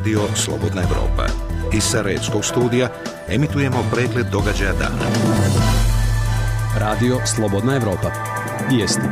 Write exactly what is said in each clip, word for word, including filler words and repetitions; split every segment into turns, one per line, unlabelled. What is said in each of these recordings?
Radio Slobodna Evropa. Iz Sarajevskog studija emitujemo pregled događaja dana.
Radio Slobodna Evropa. Vijesti.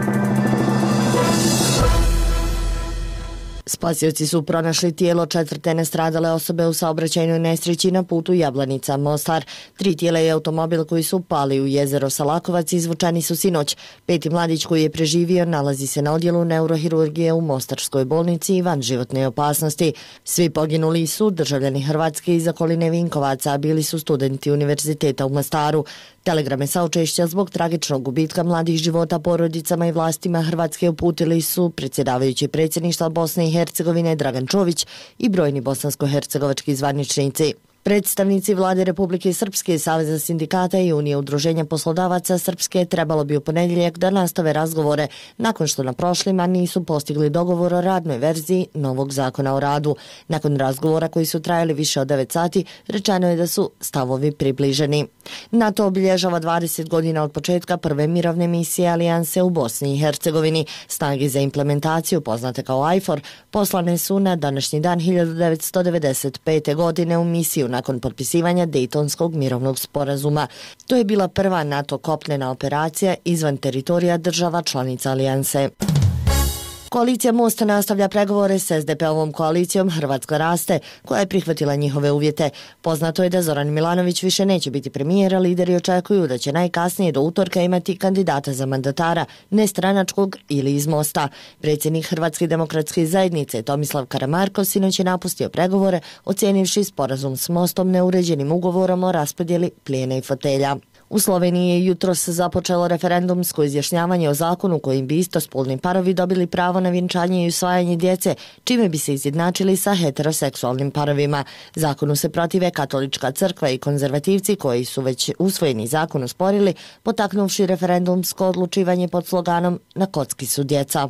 Spasioci su pronašli tijelo četvrte nastradale osobe u saobraćajnoj nesreći na putu Jablanica-Mostar. Tri tijela i automobil koji su pali u jezero Salakovac izvučeni su sinoć. Peti mladić koji je preživio nalazi se na odjelu neurohirurgije u Mostarskoj bolnici i van životne opasnosti. Svi poginuli su državljani Hrvatske iz okoline Vinkovaca, a bili su studenti univerziteta u Mostaru. Telegrame saučešća zbog tragičnog gubitka mladih života porodicama i vlastima Hrvatske uputili su predsjedavajući predsjedništva Bosne i Hercegovine Dragan Čović i brojni bosansko-hercegovački zvaničnici. Predstavnici vlade Republike Srpske, Saveza sindikata i Unije udruženja poslodavaca Srpske trebalo bi u ponedjeljak da nastave razgovore nakon što na prošlima nisu postigli dogovor o radnoj verziji novog zakona o radu. Nakon razgovora koji su trajali više od devet sati, rečeno je da su stavovi približeni. NATO obilježava dvadeset godina od početka prve mirovne misije Alijanse u Bosni i Hercegovini. Snage za implementaciju, poznate kao IFOR, poslane su na današnji dan hiljadu devetsto devedeset pete. godine u misiju nakon potpisivanja Dejtonskog mirovnog sporazuma. To je bila prva NATO kopnena operacija izvan teritorija država članica Alijanse. Koalicija Mosta nastavlja pregovore s es de pe ovom koalicijom Hrvatska raste, koja je prihvatila njihove uvjete. Poznato je da Zoran Milanović više neće biti premijer, a lideri očekuju da će najkasnije do utorka imati kandidata za mandatara, nestranačkog ili iz Mosta. Predsjednik Hrvatske demokratske zajednice Tomislav Karamarko sinoć je napustio pregovore, ocijenivši sporazum s Mostom neuređenim ugovorom o raspodjeli plijena i fotelja. U Sloveniji je jutros započelo referendumsko izjašnjavanje o zakonu kojim bi istospolni parovi dobili pravo na vjenčanje i usvajanje djece, čime bi se izjednačili sa heteroseksualnim parovima. Zakonu se protive Katolička crkva i konzervativci koji su već usvojeni zakon usporili, potaknuvši referendumsko odlučivanje pod sloganom "Na kocki su djeca".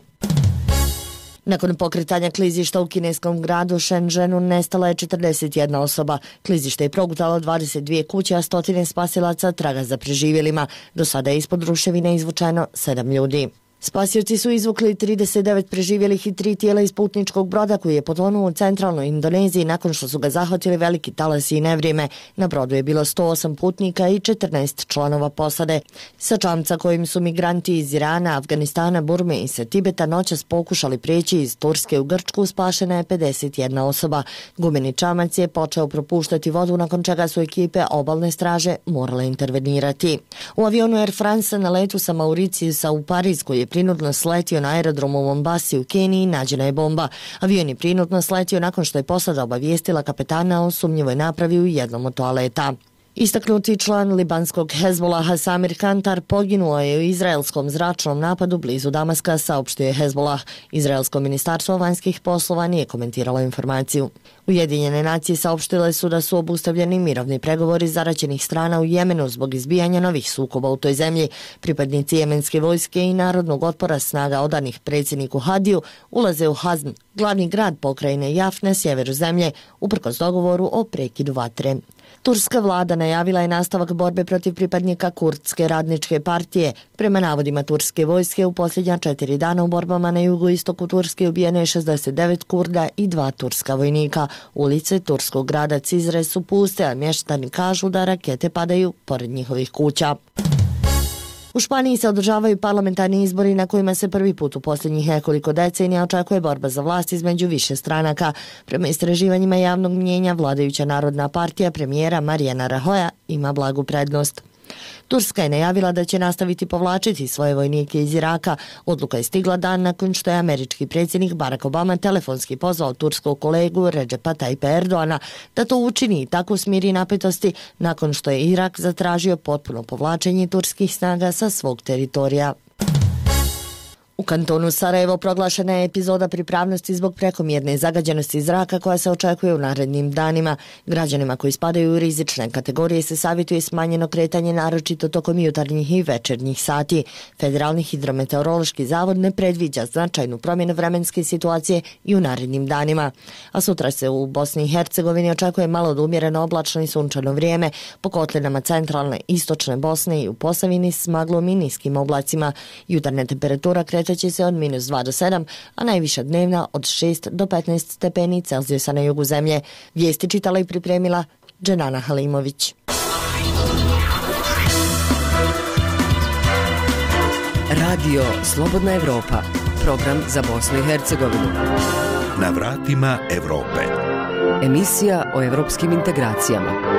Nakon pokretanja klizišta u kineskom gradu Shenzhenu nestala je četrdeset jedna osoba. Klizište je progutalo dvadeset dvije kuće, a stotine spasilaca traga za preživjelima. Do sada je ispod ruševine izvučeno sedam ljudi. Spasioci su izvukli trideset devet preživjelih i tri tijela iz putničkog broda koji je potonuo u centralnoj Indoneziji nakon što su ga zahvatili veliki talasi i nevrijeme. Na brodu je bilo sto osam putnika i četrnaest članova posade. Sa čamca kojim su migranti iz Irana, Afganistana, Burme i sa Tibeta noćas pokušali prijeći iz Turske u Grčku, spašena je pedeset jedna osoba. Gumeni čamac je počeo propuštati vodu, nakon čega su ekipe obalne straže morale intervenirati. U avionu Air France na letu sa Mauriciusa u Pariz, koji je prinudno sletio na aerodromu u Mombasi u Keniji, nađena je bomba. Avion je prinudno sletio nakon što je posada obavijestila kapetana o sumnjivoj napravi u jednom od toaleta. Istaknuti član libanskog Hezbolaha Samir Kantar poginuo je u izraelskom zračnom napadu blizu Damaska, saopštio je Hezbolah. Izraelsko ministarstvo vanjskih poslova nije komentiralo informaciju. Ujedinjene nacije saopštile su da su obustavljeni mirovni pregovori zaraćenih strana u Jemenu zbog izbijanja novih sukoba u toj zemlji. Pripadnici jemenske vojske i narodnog otpora snaga odanih predsjedniku Hadiju ulaze u Hazn, glavni grad pokrajine Jaf na sjeveru zemlje, uprkos dogovoru o prekidu vatre. Turska vlada najavila je nastavak borbe protiv pripadnika Kurdske radničke partije. Prema navodima turske vojske, u posljednja četiri dana u borbama na jugoistoku Turske ubijeno je šezdeset devet Kurda i dva turska vojnika. Ulice turskog grada Cizre su puste, a mještani kažu da rakete padaju pored njihovih kuća. U Španiji se održavaju parlamentarni izbori na kojima se prvi put u posljednjih nekoliko decenija očekuje borba za vlast između više stranaka. Prema istraživanjima javnog mnijenja, vladajuća Narodna partija premijera Mariana Rajoya ima blagu prednost. Turska je najavila da će nastaviti povlačiti svoje vojnike iz Iraka. Odluka je stigla dan nakon što je američki predsjednik Barack Obama telefonski pozvao turskog kolegu Recepa Tayyipa Erdoana da to učini i tako smiri napetosti nakon što je Irak zatražio potpuno povlačenje turskih snaga sa svog teritorija. U kantonu Sarajevo proglašena je epizoda pripravnosti zbog prekomjerne zagađenosti zraka koja se očekuje u narednim danima. Građanima koji spadaju u rizične kategorije se savjetuje smanjeno kretanje naročito tokom jutarnjih i večernjih sati. Federalni hidrometeorološki zavod ne predviđa značajnu promjenu vremenske situacije i u narednim danima. A sutra se u Bosni i Hercegovini očekuje malo do umjereno oblačno i sunčano vrijeme, po kotlinama centralne istočne Bosne i u Posavini s maglom i niskim oblacima. Jutarnja temperatura kreće kretat se od minus dva do sedam, a najviša dnevna od šest do petnaest stepeni Celzijusa na jugu zemlje. Vijesti čitala i pripremila Dženana Halimović.
Radio Slobodna Evropa, program za Bosnu i Hercegovinu.
Na vratima Evrope.
Emisija o evropskim integracijama.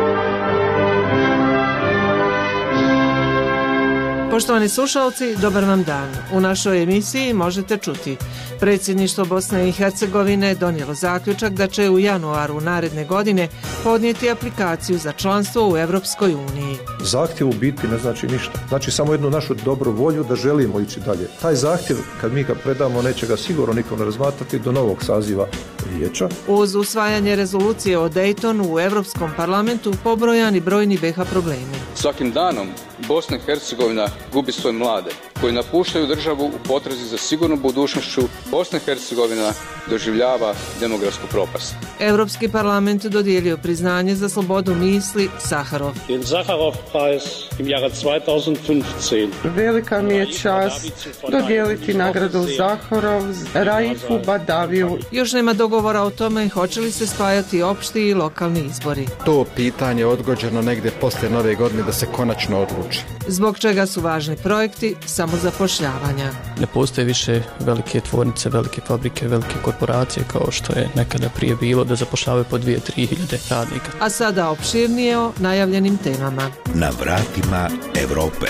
Poštovani slušalci, dobar vam dan. U našoj emisiji možete čuti: predsjedništvo Bosne i Hercegovine donijelo zaključak da će u januaru naredne godine podnijeti aplikaciju za članstvo u Evropskoj uniji.
Zahtjev u biti ne znači ništa. Znači samo jednu našu dobru volju da želimo ići dalje. Taj zahtjev, kad mi ga predamo, neće ga sigurno niko ne razmatrati do novog saziva vijeća.
Uz usvajanje rezolucije o Daytonu u Europskom parlamentu pobrojani brojni B iH problemi.
Svakim danom Bosna i Hercegovina gubi svoje mlade koji napuštaju državu u potrazi za sigurnom budućnošću. Bosna i Hercegovina doživljava demografsku propast.
Europski parlament dodijelio priznanje za slobodu misli Saharov.
Den Saharov-Preis im Jahre dva tisuće petnaest.
Velika mi je čast dodijeliti nagradu Saharov Raifu Badaviju.
Još nema dogovora o tome hoće li se spajati opšti i lokalni izbori.
To pitanje je odgođeno negdje poslije nove godine da se konačno odluči.
Zbog čega su važni projekti samozapošljavanja.
Ne postoje više velike tvornice, velike fabrike, velike korporacije kao što je nekada prije bilo da zapošljavaju po dvije, tri hiljade radnika.
A sada opširnije o najavljenim temama.
Na vratima Evrope.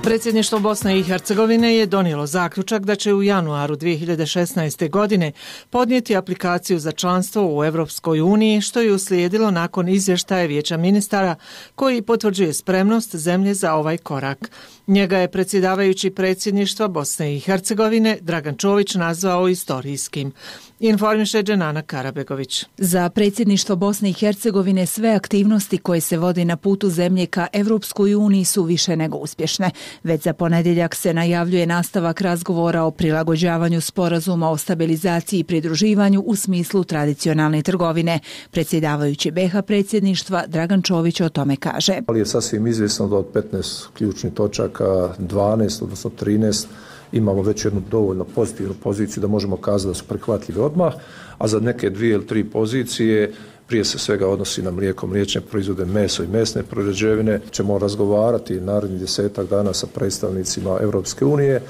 Predsjedništvo Bosne i Hercegovine je donijelo zaključak da će u januaru dvije hiljade šesnaeste. godine podnijeti aplikaciju za članstvo u Evropskoj uniji, što je uslijedilo nakon izvještaja Vijeća ministara koji potvrđuje spremnost zemlje za ovaj korak. Njega je predsjedavajući predsjedništva Bosne i Hercegovine Dragan Čović nazvao istorijskim. Informiše Dženana Karabegović.
Za predsjedništvo Bosne i Hercegovine sve aktivnosti koje se vode na putu zemlje ka Evropskoj uniji su više nego uspješne. Već za ponedjeljak se najavljuje nastavak razgovora o prilagođavanju sporazuma o stabilizaciji i pridruživanju u smislu tradicionalne trgovine. Predsjedavajući B iH predsjedništva Dragan Čović o tome kaže.
Ali je sasvim izvjesno da od petnaest ključnih točaka dvanaest, odnosno trinaest, imamo već jednu dovoljno pozitivnu poziciju da možemo kazati da su prihvatljive odmah, a za neke dvije ili tri pozicije, prije se svega odnosi na mlijeko, mliječne proizvode, meso i mesne prerađevine, ćemo razgovarati narednih desetak dana sa predstavnicima Europske unije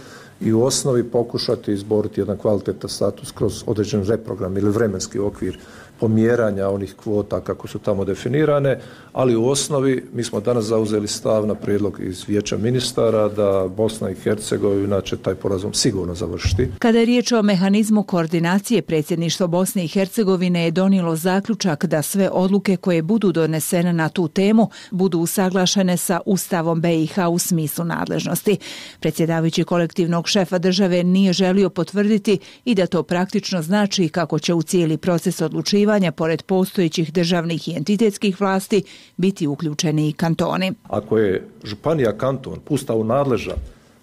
i u osnovi pokušati izboriti jedan kvalitetan status kroz određen reprogram ili vremenski okvir pomjeranja onih kvota kako su tamo definirane, ali u osnovi mi smo danas zauzeli stav na prijedlog iz Vijeća ministara da Bosna i Hercegovina će taj porazum sigurno završiti.
Kada je riječ o mehanizmu koordinacije, predsjedništvo Bosne i Hercegovine je donijelo zaključak da sve odluke koje budu donesene na tu temu budu usaglašene sa Ustavom B iH u smislu nadležnosti. Predsjedavajući kolektivnog šefa države nije želio potvrditi i da to praktično znači kako će u cijeli proces odlučivanja pored postojećih državnih i entitetskih vlasti biti uključeni i kantoni.
Ako je županija kanton Ustavu nadležan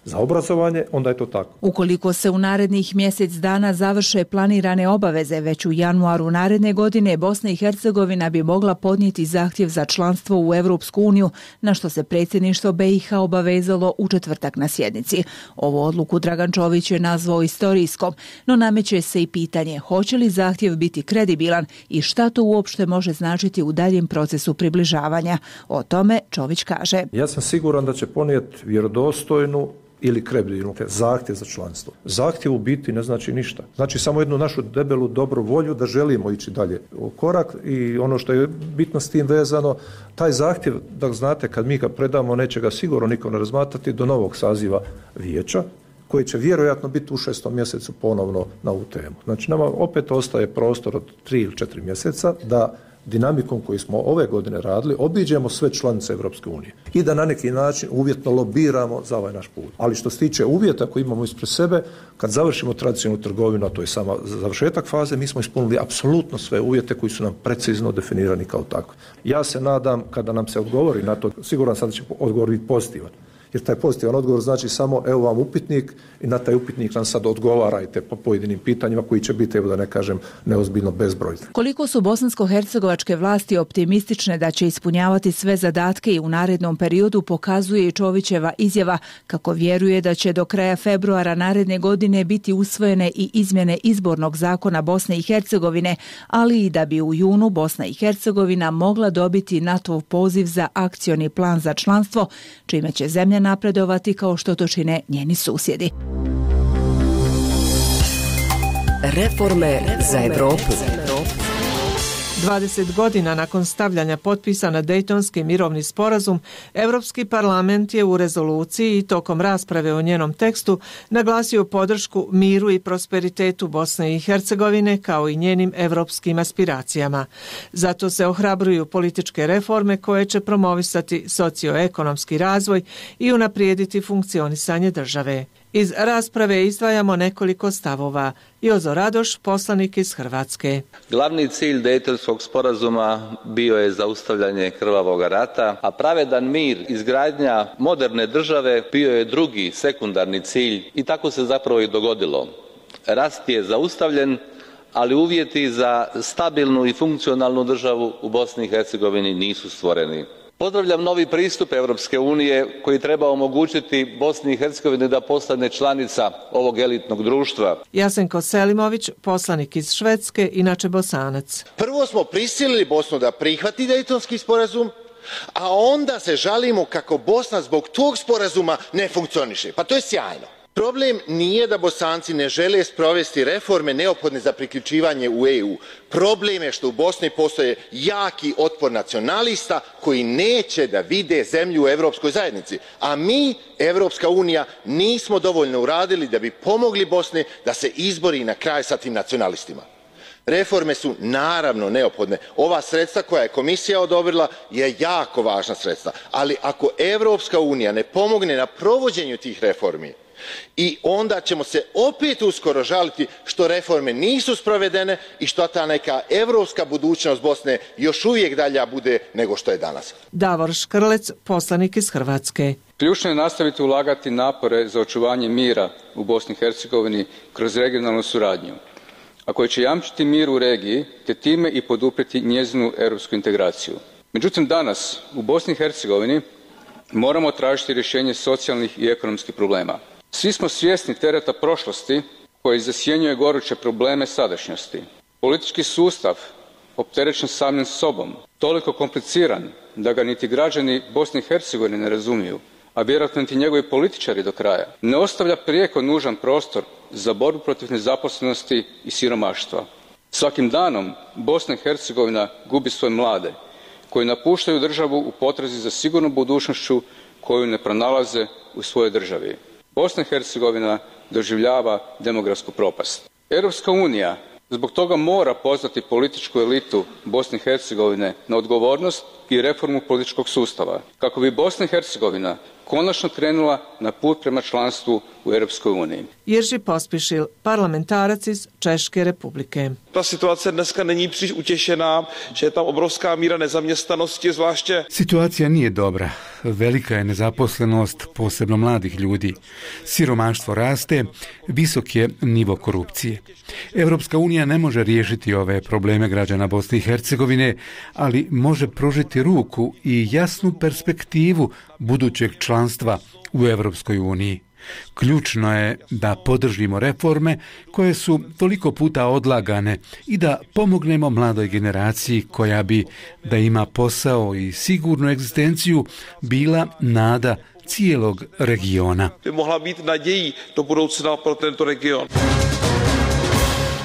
za obrazovanje, onda je to tako.
Ukoliko se u narednih mjesec dana završe planirane obaveze, već u januaru naredne godine Bosna i Hercegovina bi mogla podnijeti zahtjev za članstvo u Evropsku uniju, na što se predsjedništvo B iH obavezalo u četvrtak na sjednici. Ovu odluku Dragan Čović je nazvao istorijskom, no nameće se i pitanje hoće li zahtjev biti kredibilan i šta to uopšte može značiti u daljem procesu približavanja. O tome Čović kaže.
Ja sam siguran da će ponijeti vjerodostojnu ili kredibilnu zahtjev za članstvo. Zahtjev u biti ne znači ništa. Znači samo jednu našu debelu dobru volju da želimo ići dalje u korak i ono što je bitno s tim vezano, taj zahtjev, da znate, kad mi ga predamo, neće ga sigurno niko ne razmatrati do novog saziva vijeća, koji će vjerojatno biti u šestom mjesecu ponovno na ovu temu. Znači nama opet ostaje prostor od tri ili četiri mjeseca da dinamikom koju smo ove godine radili, obiđemo sve članice Europske unije i da na neki način uvjetno lobiramo za ovaj naš put. Ali što se tiče uvjeta koji imamo ispred sebe, kad završimo tradicionalnu trgovinu, a to je sama završetak faze, mi smo ispunili apsolutno sve uvjete koji su nam precizno definirani kao takvi. Ja se nadam, kada nam se odgovori na to, siguran sam da će odgovor biti pozitivan. Jer taj pozitivan odgovor znači samo evo vam upitnik i na taj upitnik nam sad odgovarajte po pojedinim pitanjima koji će biti, evo da ne kažem, neozbiljno bezbroj.
Koliko su bosansko-hercegovačke vlasti optimistične da će ispunjavati sve zadatke i u narednom periodu pokazuje i Čovićeva izjava kako vjeruje da će do kraja februara naredne godine biti usvojene i izmjene izbornog zakona Bosne i Hercegovine, ali i da bi u junu Bosna i Hercegovina mogla dobiti NATO poziv za akcioni plan za članstvo, čime će zemlja napredovati kao što to čine njeni susjedi.
Reforme za Evropu.
dvadeset godina nakon stavljanja potpisa na Dejtonski mirovni sporazum, Europski parlament je u rezoluciji i tokom rasprave o njenom tekstu naglasio podršku miru i prosperitetu Bosne i Hercegovine kao i njenim europskim aspiracijama. Zato se ohrabruju političke reforme koje će promovisati socioekonomski razvoj i unaprijediti funkcionisanje države. Iz rasprave izdvajamo nekoliko stavova. Jozo Radoš, poslanik iz Hrvatske.
Glavni cilj Dejtonskog sporazuma bio je zaustavljanje krvavog rata, a pravedan mir, izgradnja moderne države bio je drugi, sekundarni cilj i tako se zapravo i dogodilo. Rat je zaustavljen, ali uvjeti za stabilnu i funkcionalnu državu u Bosni i Hercegovini nisu stvoreni. Pozdravljam novi pristup Europske unije koji treba omogućiti Bosni i Hercegovini da postane članica ovog elitnog društva.
Jasenko Selimović, poslanik iz Švedske, inače Bosanac.
Prvo smo prisilili Bosnu da prihvati Dejtonski sporazum, a onda se žalimo kako Bosna zbog tog sporazuma ne funkcioniše. Pa to je sjajno. Problem nije da Bosanci ne žele sprovesti reforme neophodne za priključivanje u E U. Problem je što u Bosni postoje jaki otpor nacionalista koji neće da vide zemlju u Evropskoj zajednici. A mi, Evropska unija, nismo dovoljno uradili da bi pomogli Bosni da se izbori na kraj sa tim nacionalistima. Reforme su naravno neophodne. Ova sredstva koja je komisija odobrila je jako važna sredstva. Ali ako Evropska unija ne pomogne na provođenju tih reformi, i onda ćemo se opet uskoro žaliti što reforme nisu sprovedene i što ta neka evropska budućnost Bosne još uvijek dalja bude nego što je danas.
Davor Škrlec, poslanik iz Hrvatske.
Ključno je nastaviti ulagati napore za očuvanje mira u Bosni i Hercegovini kroz regionalnu suradnju, a koji će jamčiti mir u regiji te time i poduprijeti njezinu europsku integraciju. Međutim, danas u Bosni i Hercegovini moramo tražiti rješenje socijalnih i ekonomskih problema. Svi smo svjesni tereta prošlosti koji zasjenjuje goruće probleme sadašnjosti. Politički sustav, opterećen samim sobom, toliko kompliciran da ga niti građani Bosne i Hercegovine ne razumiju, a vjerojatno niti njegovi političari do kraja, ne ostavlja prijeko nužan prostor za borbu protiv nezaposlenosti i siromaštva. Svakim danom Bosna i Hercegovina gubi svoje mlade, koji napuštaju državu u potrazi za sigurnom budućnošću koju ne pronalaze u svojoj državi. Bosna i Hercegovina doživljava demografsku propast. Europska unija zbog toga mora pozvati političku elitu Bosne i Hercegovine na odgovornost i reformu političkog sustava, kako bi Bosna i Hercegovina konačno krenula na put prema članstvu u Europskoj uniji.
Jirži Pospišil, parlamentarac iz Češke republike.
Ta situace dneska není příliš utěšená, že je tam obrovská míra nezaměstnanosti, zvláště.
Situacija nije dobra. Velika je nezaposlenost, posebno mladih ljudi. Siromaštvo raste, visok je nivo korupcije. Europska unija ne može riješiti ove probleme građana Bosne i Hercegovine, ali može pružiti ruku i jasnu perspektivu budućeg članstva u Europskoj uniji. Ključno je da podržimo reforme koje su toliko puta odlagane i da pomognemo mladoj generaciji koja bi, da ima posao i sigurnu egzistenciju, bila nada cijelog regiona.
By mohla být nadějí do budoucna pro tento region.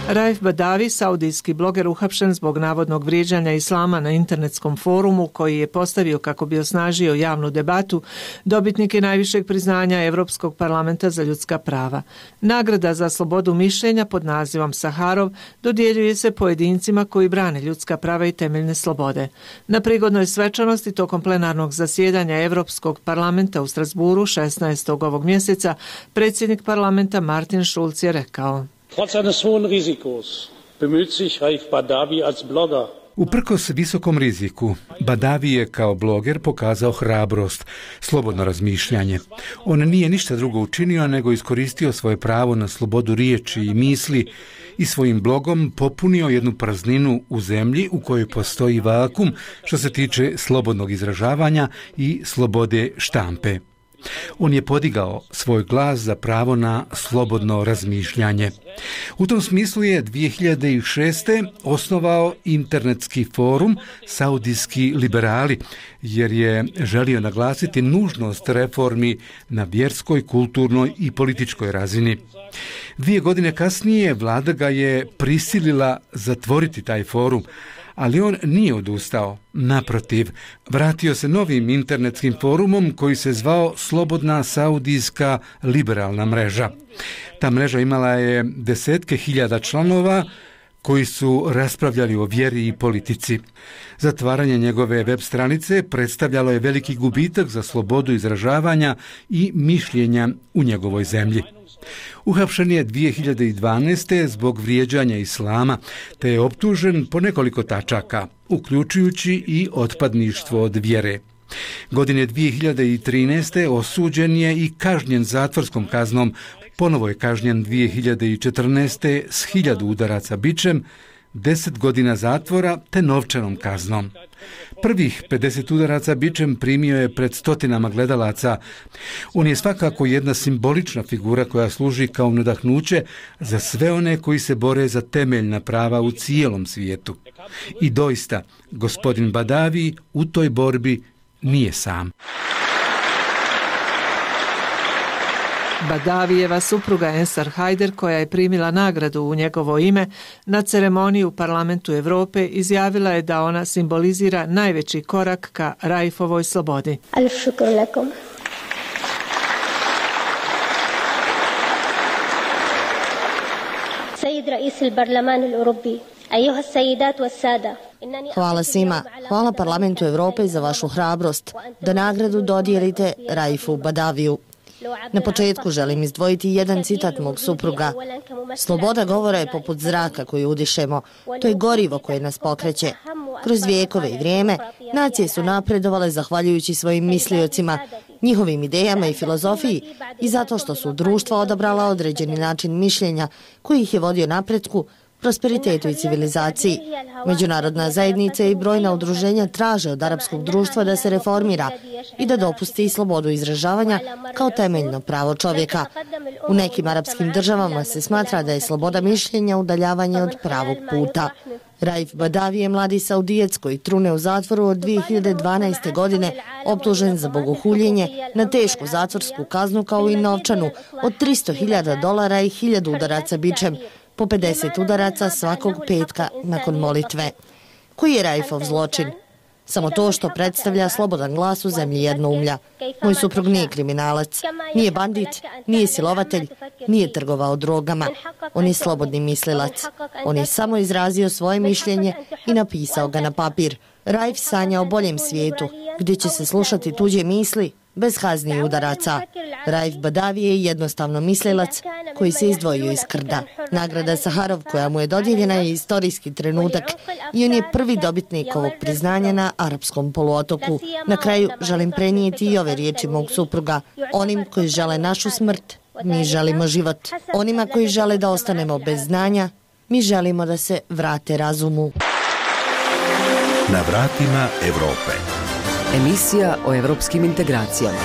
Raif Badavi, saudijski bloger uhapšen zbog navodnog vrijeđanja islama na internetskom forumu koji je postavio kako bi osnažio javnu debatu, dobitnik je najvišeg priznanja Europskog parlamenta za ljudska prava. Nagrada za slobodu mišljenja pod nazivom Saharov dodjeljuje se pojedincima koji brane ljudska prava i temeljne slobode. Na prigodnoj svečanosti tokom plenarnog zasjedanja Europskog parlamenta u Strasburu šesnaestog ovog mjeseca predsjednik parlamenta Martin Schulz je rekao:
Trotz eines hohen Risikos bemüht sich Raif Badavi als Blogger
Uprkos visokom riziku, Badavi je kao bloger pokazao hrabrost, slobodno razmišljanje. On nije ništa drugo učinio nego iskoristio svoje pravo na slobodu riječi i misli i svojim blogom popunio jednu prazninu u zemlji u kojoj postoji vakum što se tiče slobodnog izražavanja i slobode štampe. On je podigao svoj glas za pravo na slobodno razmišljanje. U tom smislu je dvije hiljade šeste. osnovao internetski forum Saudijski liberali, jer je želio naglasiti nužnost reformi na vjerskoj, kulturnoj i političkoj razini. Dvije godine kasnije vlada ga je prisilila zatvoriti taj forum, ali on nije odustao. Naprotiv, vratio se novim internetskim forumom koji se zvao Slobodna Saudijska liberalna mreža. Ta mreža imala je desetke hiljada članova koji su raspravljali o vjeri i politici. Zatvaranje njegove web stranice predstavljalo je veliki gubitak za slobodu izražavanja i mišljenja u njegovoj zemlji. Uhapšen je dvije hiljade dvanaeste. zbog vrijeđanja islama, te je optužen po nekoliko tačaka, uključujući i otpadništvo od vjere. Godine dvije hiljade trinaeste. osuđen je i kažnjen zatvorskom kaznom. Ponovo je kažnjen dvije hiljade četrnaeste. s hiljadu udaraca bičem, deset godina zatvora te novčanom kaznom. Prvih pedeset udaraca bičem primio je pred stotinama gledalaca. On je svakako jedna simbolična figura koja služi kao nadahnuće za sve one koji se bore za temeljna prava u cijelom svijetu. I doista, gospodin Badavi u toj borbi nije sam.
Badavijeva supruga Ensar Hajder, koja je primila nagradu u njegovo ime, na ceremoniji u Parlamentu Europe izjavila je da ona simbolizira najveći korak ka Raifovoj slobodi.
Alif šukr lakum. Sejid rais il-Barlaman il-Europi, ajuha sejidat wa sada.
Hvala svima. Hvala Parlamentu Europe za vašu hrabrost da nagradu dodijelite Raifu Badaviju. Na početku želim izdvojiti jedan citat mog supruga. Sloboda govora je poput zraka koju udišemo. To je gorivo koje nas pokreće. Kroz vijekove i vrijeme, nacije su napredovale zahvaljujući svojim misliocima, njihovim idejama i filozofiji i zato što su društva odabrala određeni način mišljenja koji ih je vodio napretku, prosperitetu i civilizaciji. Međunarodna zajednica i brojna udruženja traže od arapskog društva da se reformira i da dopusti slobodu izražavanja kao temeljno pravo čovjeka. U nekim arapskim državama se smatra da je sloboda mišljenja udaljavanje od pravog puta. Raif Badavi je mladi Saudijac koji trune u zatvoru od dvije hiljade dvanaeste. godine, optužen za bogohuljenje na tešku zatvorsku kaznu kao i novčanu od tristo hiljada dolara i hiljadu udaraca bičem, po pedeset udaraca svakog petka nakon molitve. Koji je Raifov zločin? Samo to što predstavlja slobodan glas u zemlji jednoumlja. Moj suprug nije kriminalac, nije bandit, nije silovatelj, nije trgovao drogama. On je slobodni mislilac. On je samo izrazio svoje mišljenje i napisao ga na papir. Raif sanja o boljem svijetu, gdje će se slušati tuđe misli bez kazni i udaraca. Raif Badavi je jednostavno mislilac koji se izdvojio iz krda. Nagrada Saharov koja mu je dodijeljena je istorijski trenutak i on je prvi dobitnik ovog priznanja na arapskom poluotoku. Na kraju želim prenijeti i ove riječi mog supruga. Onim koji žele našu smrt, mi želimo život. Onima koji žele da ostanemo bez znanja, mi želimo da se vrate razumu.
Na vratima Europe.
Emisija o evropskim integracijama.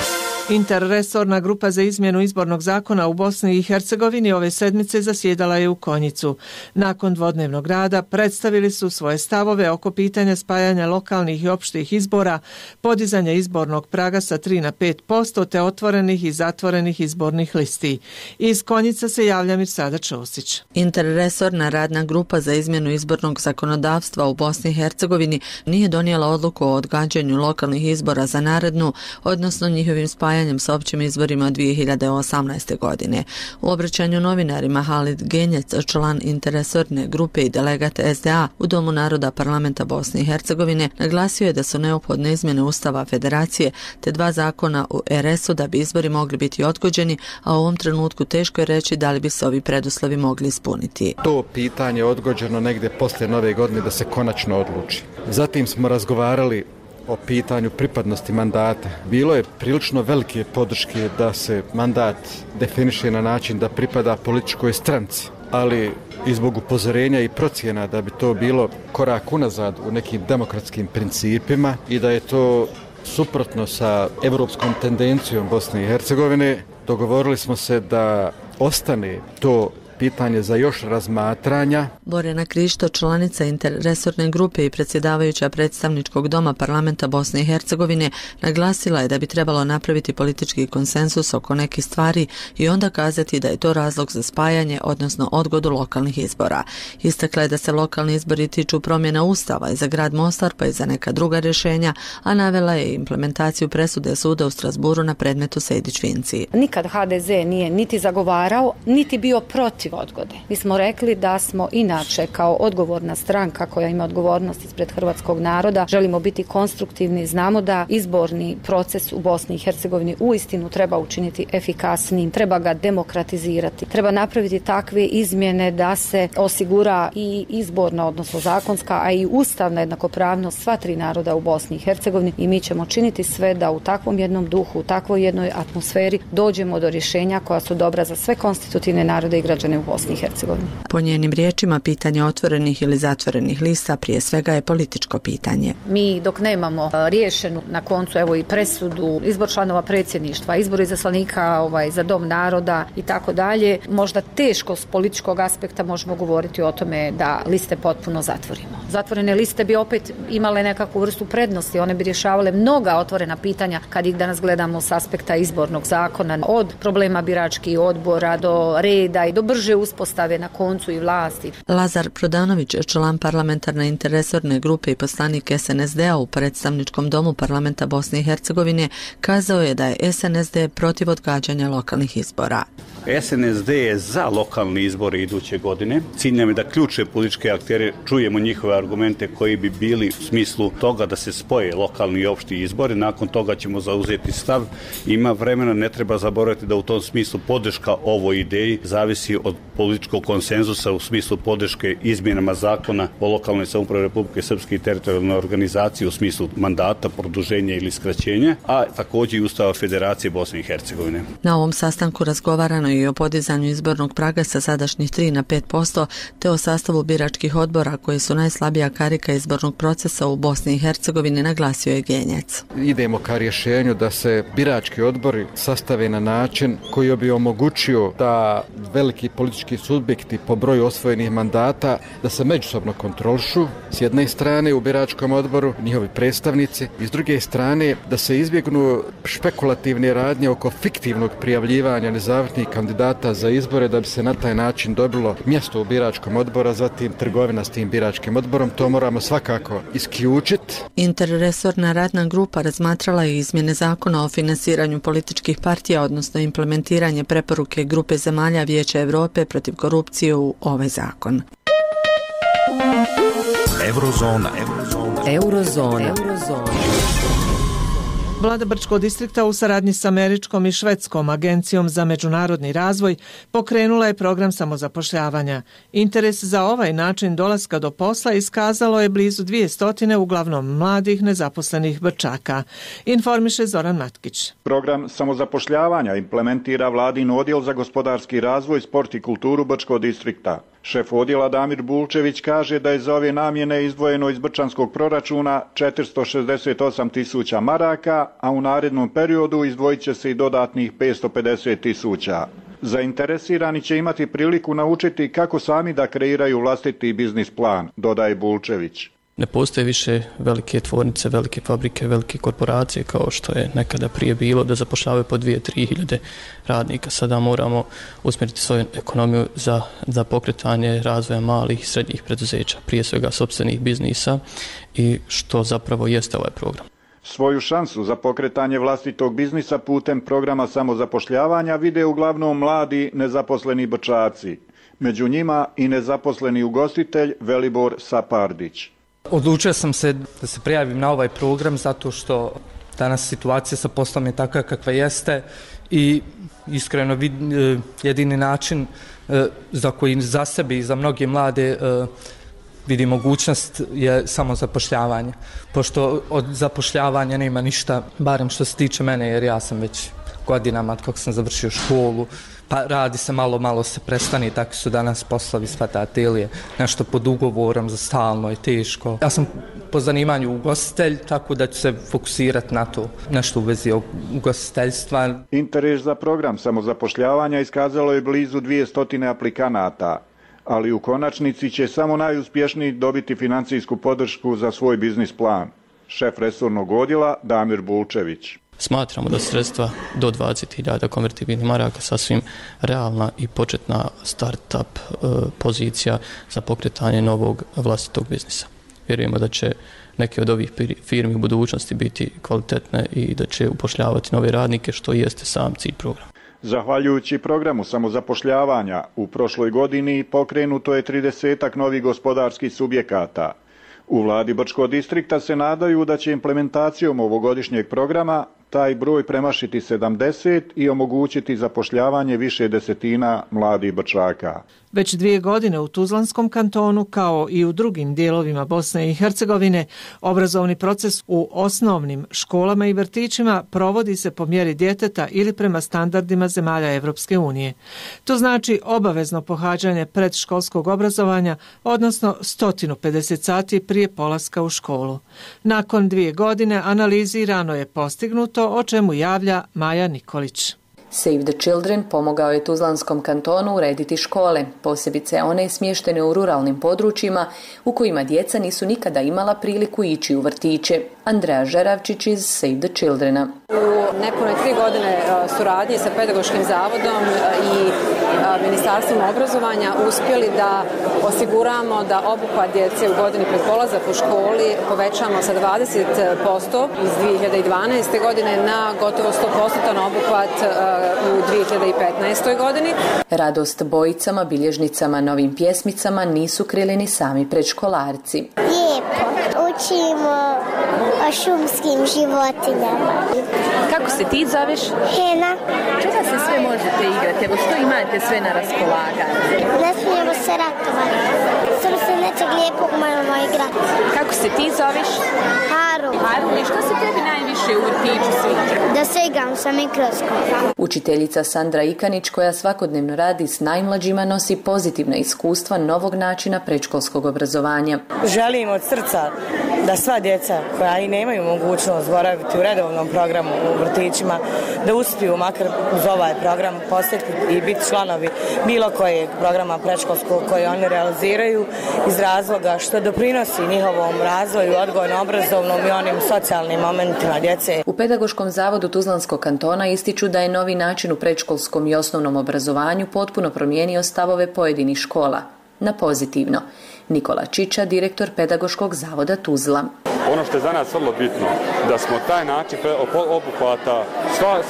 Interresorna grupa za izmjenu izbornog zakona u Bosni i Hercegovini ove sedmice zasjedala je u Konjicu. Nakon dvodnevnog rada predstavili su svoje stavove oko pitanja spajanja lokalnih i opštih izbora, podizanja izbornog praga sa tri na pet posto te otvorenih i zatvorenih izbornih listi. Iz Konjica se javlja Mirsada Ćosić.
Interresorna radna grupa za izmjenu izbornog zakonodavstva u Bosni i Hercegovini nije donijela odluku o odgađanju lokalnih izbora za narednu, odnosno njihovim spajanjem spajanjem s općim izborima dvije hiljade osamnaeste. godine. U obraćanju novinarima Halid Genjec, član interresorne grupe i delegat S D A u Domu naroda parlamenta Bosne i Hercegovine, naglasio je da su neophodne izmjene Ustava Federacije te dva zakona u R S-u da bi izbori mogli biti odgođeni, a u ovom trenutku teško je reći da li bi se ovi preduslovi mogli ispuniti.
To pitanje odgođeno negdje poslije nove godine da se konačno odluči. Zatim smo razgovarali o pitanju pripadnosti mandata. Bilo je prilično velike podrške da se mandat definiše na način da pripada političkoj stranci, ali i zbog upozorenja i procjena da bi to bilo korak unazad u nekim demokratskim principima i da je to suprotno sa europskom tendencijom Bosne i Hercegovine, dogovorili smo se da ostane to pitanje za još razmatranja.
Borjana Krišto, članica interresorne grupe i predsjedavajuća predstavničkog doma parlamenta Bosne i Hercegovine, naglasila je da bi trebalo napraviti politički konsensus oko nekih stvari i onda kazati da je to razlog za spajanje, odnosno odgodu lokalnih izbora. Istakla je da se lokalni izbori tiču promjena Ustava i za grad Mostar pa i za neka druga rješenja, a navela je implementaciju presude suda u Strasburu na predmetu Sejdić-Finci.
Nikad H D Z nije niti zagovarao, niti bio protiv odgode. Mi smo rekli da smo inače kao odgovorna stranka koja ima odgovornost ispred hrvatskog naroda, želimo biti konstruktivni, znamo da izborni proces u Bosni i Hercegovini uistinu treba učiniti efikasnim, treba ga demokratizirati, treba napraviti takve izmjene da se osigura i izborna, odnosno zakonska, a i ustavna jednakopravnost sva tri naroda u Bosni i Hercegovini i mi ćemo činiti sve da u takvom jednom duhu, u takvoj jednoj atmosferi dođemo do rješenja koja su dobra za sve konstitutivne narode i građane u Bosni i Hercegovini.
Po njenim riječima, pitanje otvorenih ili zatvorenih lista prije svega je političko pitanje.
Mi dok nemamo riješenu na koncu evo i presudu, izbor članova predsjedništva, izbor izaslanika ovaj, za Dom naroda i tako dalje, možda teško s političkog aspekta možemo govoriti o tome da liste potpuno zatvorimo. Zatvorene liste bi opet imale nekakvu vrstu prednosti, one bi rješavale mnoga otvorena pitanja kad ih danas gledamo s aspekta izbornog zakona, od problema biračkih odbora do reda i do brže uspostave na koncu i vlasti.
Lazar Prodanović, član parlamentarne interresorne grupe i poslanik S N S D-a u predstavničkom domu parlamenta Bosne i Hercegovine, kazao je da je S N S D protiv odgađanja lokalnih izbora.
S N S D je za lokalne izbore iduće godine. Cilj nam je da ključne političke aktere čujemo njihove argumente koji bi bili u smislu toga da se spoje lokalni i opšti izbori. Nakon toga ćemo zauzeti stav. Ima vremena, ne treba zaboraviti da u tom smislu podrška ovoj ideji zavisi od političkog konsenzusa u smislu podrške izmjenama zakona o lokalnoj samoupravi Republike Srpske i teritorijalnoj organizaciji u smislu mandata, produženja ili skraćenja, a također i Ustava Federacije Bosne i Hercegovine.
Na ovom sastanku razgovarano i o podizanju izbornog praga sa sadašnjih tri na pet posto, te o sastavu biračkih odbora koji su najslabija karika izbornog procesa u Bosni i Hercegovini, naglasio je Genjec.
Idemo ka rješenju da se birački odbori sastave na način koji bi omogućio da veliki politički subjekti po broju osvojenih mandata da se međusobno kontrolišu s jedne strane u biračkom odboru, njihovi predstavnici, i s druge strane da se izbjegnu špekulativne radnje oko fiktivnog prijavljivanja nezavisnih kandidata za izbore da bi se na taj način dobilo mjesto u biračkom odboru, zatim trgovina s tim biračkim odborom. To moramo svakako isključiti.
Interresorna radna grupa razmatrala je izmjene zakona o finansiranju političkih partija, odnosno implementiranje preporuke grupe zemalja Vijeća Europe protiv korupcije u ovaj zakon.
Eurozona.
Eurozona. Eurozona.
Vlada Brčkog distrikta u saradnji s američkom i švedskom agencijom za međunarodni razvoj pokrenula je program samozapošljavanja. Interes za ovaj način dolaska do posla iskazalo je blizu dvije stotine uglavnom mladih nezaposlenih Brčaka. Informiše Zoran Matkić.
Program samozapošljavanja implementira vladin odjel za gospodarski razvoj, sport i kulturu Brčkog distrikta. Šef odjela Damir Bulčević kaže da je za ove namjene izdvojeno iz brčanskog proračuna četiristo šezdeset osam tisuća maraka, a u narednom periodu izdvojit će se i dodatnih petsto pedeset tisuća. Zainteresirani će imati priliku naučiti kako sami da kreiraju vlastiti biznis plan, dodaje Bulčević.
Ne postoje više velike tvornice, velike fabrike, velike korporacije kao što je nekada prije bilo da zapošljavaju po dvije, tri hiljade radnika. Sada moramo usmjeriti svoju ekonomiju za, za pokretanje razvoja malih i srednjih preduzeća, prije svega sopstvenih biznisa, i što zapravo jeste ovaj program.
Svoju šansu za pokretanje vlastitog biznisa putem programa samozapošljavanja vide uglavnom mladi nezaposleni Brčaci. Među njima i nezaposleni ugostitelj Velibor Sapardić.
Odlučio sam se da se prijavim na ovaj program zato što danas situacija sa poslom je takva kakva jeste i iskreno jedini način za koji za sebe i za mnoge mlade vidi mogućnost je samo zapošljavanje. Pošto od zapošljavanja nema ništa, barem što se tiče mene, jer ja sam već godinama kako sam završio školu, pa radi se malo, malo se prestani, tako su danas poslovi svatatelje, nešto pod ugovorom za stalno je teško. Ja sam po zanimanju ugostitelj, tako da ću se fokusirati na to, nešto u vezi ugostiteljstva.
Interes za program samozapošljavanja iskazalo je blizu dvjesto aplikanata, ali u konačnici će samo najuspješniji dobiti financijsku podršku za svoj biznis plan. Šef resornog odjela Damir Bulčević.
Smatramo da sredstva do dvadeset hiljada konvertibilnih maraka sasvim realna i početna start-up e, pozicija za pokretanje novog vlastitog biznisa. Vjerujemo da će neke od ovih firmi u budućnosti biti kvalitetne i da će upošljavati nove radnike, što jeste sam cilj programa.
Zahvaljujući programu samozapošljavanja, u prošloj godini pokrenuto je tridesetak novih gospodarskih subjekata. U vladi Brčkog distrikta se nadaju da će implementacijom ovogodišnjeg programa taj broj premašiti sedamdeset i omogućiti zapošljavanje više desetina mladih Brčaka.
Već dvije godine u Tuzlanskom kantonu, kao i u drugim dijelovima Bosne i Hercegovine, obrazovni proces u osnovnim školama i vrtićima provodi se po mjeri djeteta ili prema standardima zemalja Evropske unije. To znači obavezno pohađanje predškolskog obrazovanja, odnosno sto pedeset sati prije polaska u školu. Nakon dvije godine analizirano je postignuto, o čemu javlja Maja Nikolić.
Save the Children pomogao je Tuzlanskom kantonu urediti škole, posebice one smještene u ruralnim područjima u kojima djeca nisu nikada imala priliku ići u vrtiće. Andreja Žeravčić iz Save the Childrena.
U nepunoj tri godine suradnje sa Pedagoškim zavodom i Ministarstvom obrazovanja uspjeli da osiguramo da obuhvat djece u godini pred polazak u školi povećamo sa dvadeset posto iz dvije hiljade dvanaeste. godine na gotovo sto posto obuhvat u dvije hiljade petnaestoj. godini.
Radost bojicama, bilježnicama, novim pjesmicama nisu krili ni sami predškolarci.
Lijepo, učimo o šumskim životinjama.
Kako se ti zoveš?
Hena.
Čega se sve možete igrati? Evo što imate sve na raspolaganju?
Ne smijemo se ratovati. Samo se nečeg lijepog moramo igrati.
Kako se ti zoveš?
Haru.
Haru, i što se tebi najviše u vrtiću sviđa?
Da se igram sa mikroskopom.
Učiteljica Sandra Ikanić, koja svakodnevno radi s najmlađima, nosi pozitivna iskustva novog načina predškolskog obrazovanja.
Želim od srca da sva djeca koja i nemaju mogućnost boraviti u redovnom programu u vrtićima, da uspiju makar uz ovaj program posjetiti i biti članovi bilo kojeg programa predškolskog koji oni realiziraju iz razloga što doprinosi njihovom razvoju, odgojno-obrazovnom i onim socijalnim momentima djece.
U Pedagoškom zavodu Tuzlanskog kantona ističu da je novi način u predškolskom i osnovnom obrazovanju potpuno promijenio stavove pojedinih škola. Na pozitivno. Nikola Čiča, direktor Pedagoškog zavoda Tuzla.
Ono što je za nas vrlo bitno, da smo taj način obuhvata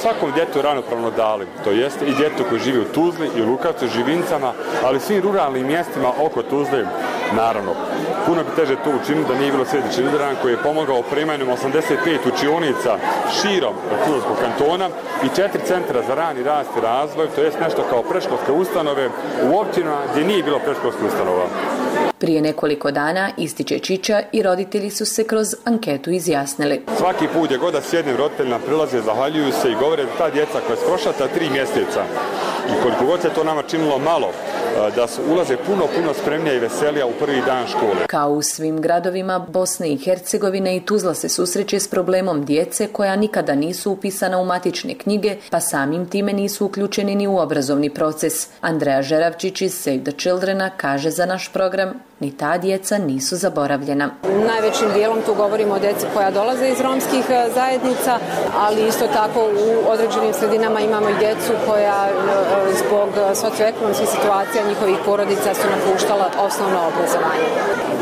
svakom djetu ravnopravno dali. To jeste i djetu koji živi u Tuzli i u Lukavcu, Živincama, ali svim ruralnim mjestima oko Tuzle. Naravno, puno bi teže to učiniti da nije bilo Save the Children koji je pomogao opremanjem osamdeset pet učionica širom Tuzlanskog kantona i četiri centra za rani rast i razvoj, to jest nešto kao predškolske ustanove u općinama gdje nije bilo predškolskih ustanova.
Prije nekoliko dana, ističe Čiča, i roditelji su se kroz anketu izjasnili.
Svaki put gdje god da sjednem, roditelji nam prilaze, zahvaljuju se i govore da ta djeca koja je prošla ta tri mjeseca i koliko god se to nama činilo malo, da su ulaze puno, puno spremnija i veselija u prvi dan škole.
Kao u svim gradovima Bosne i Hercegovine, i Tuzla se susreće s problemom djece koja nikada nisu upisana u matične knjige, pa samim time nisu uključeni ni u obrazovni proces. Andreja Žeravčić iz Save the Childrena kaže za naš program: ni ta djeca nisu zaboravljena.
Najvećim dijelom tu govorimo o djeci koja dolaze iz romskih zajednica, ali isto tako u određenim sredinama imamo i djecu koja zbog socioekonomskih situacija leđa njihovih porodica su napuštala osnovno obrazovanje.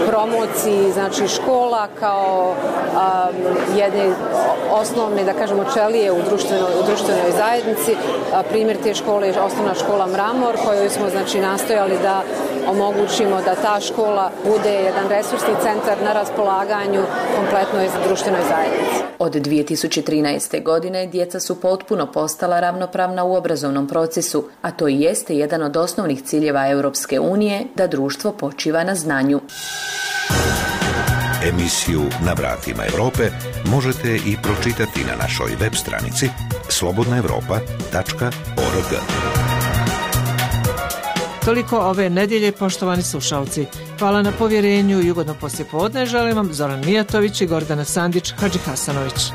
Promociji, znači škola kao um, jedne osnovne, da kažemo, čelije u društvenoj, u društvenoj zajednici. A, primjer te škole je osnovna škola Mramor, kojoj smo znači nastojali da omogućimo da ta škola bude jedan resursni centar na raspolaganju kompletnoj društvenoj zajednici.
Od dvije tisuće trinaeste. godine djeca su potpuno postala ravnopravna u obrazovnom procesu, a to i jeste jedan od osnovnih ciljeva Europske unije da društvo počiva na znanju.
Emisiju Na vratima Europe možete i pročitati na našoj web stranici slobodna europa tačka org.
Toliko ove nedjelje, poštovani slušalci. Hvala na povjerenju i ugodno poslijepodne želim vam Zoran Mijatović i Gordana Sandić Hadžihasanović.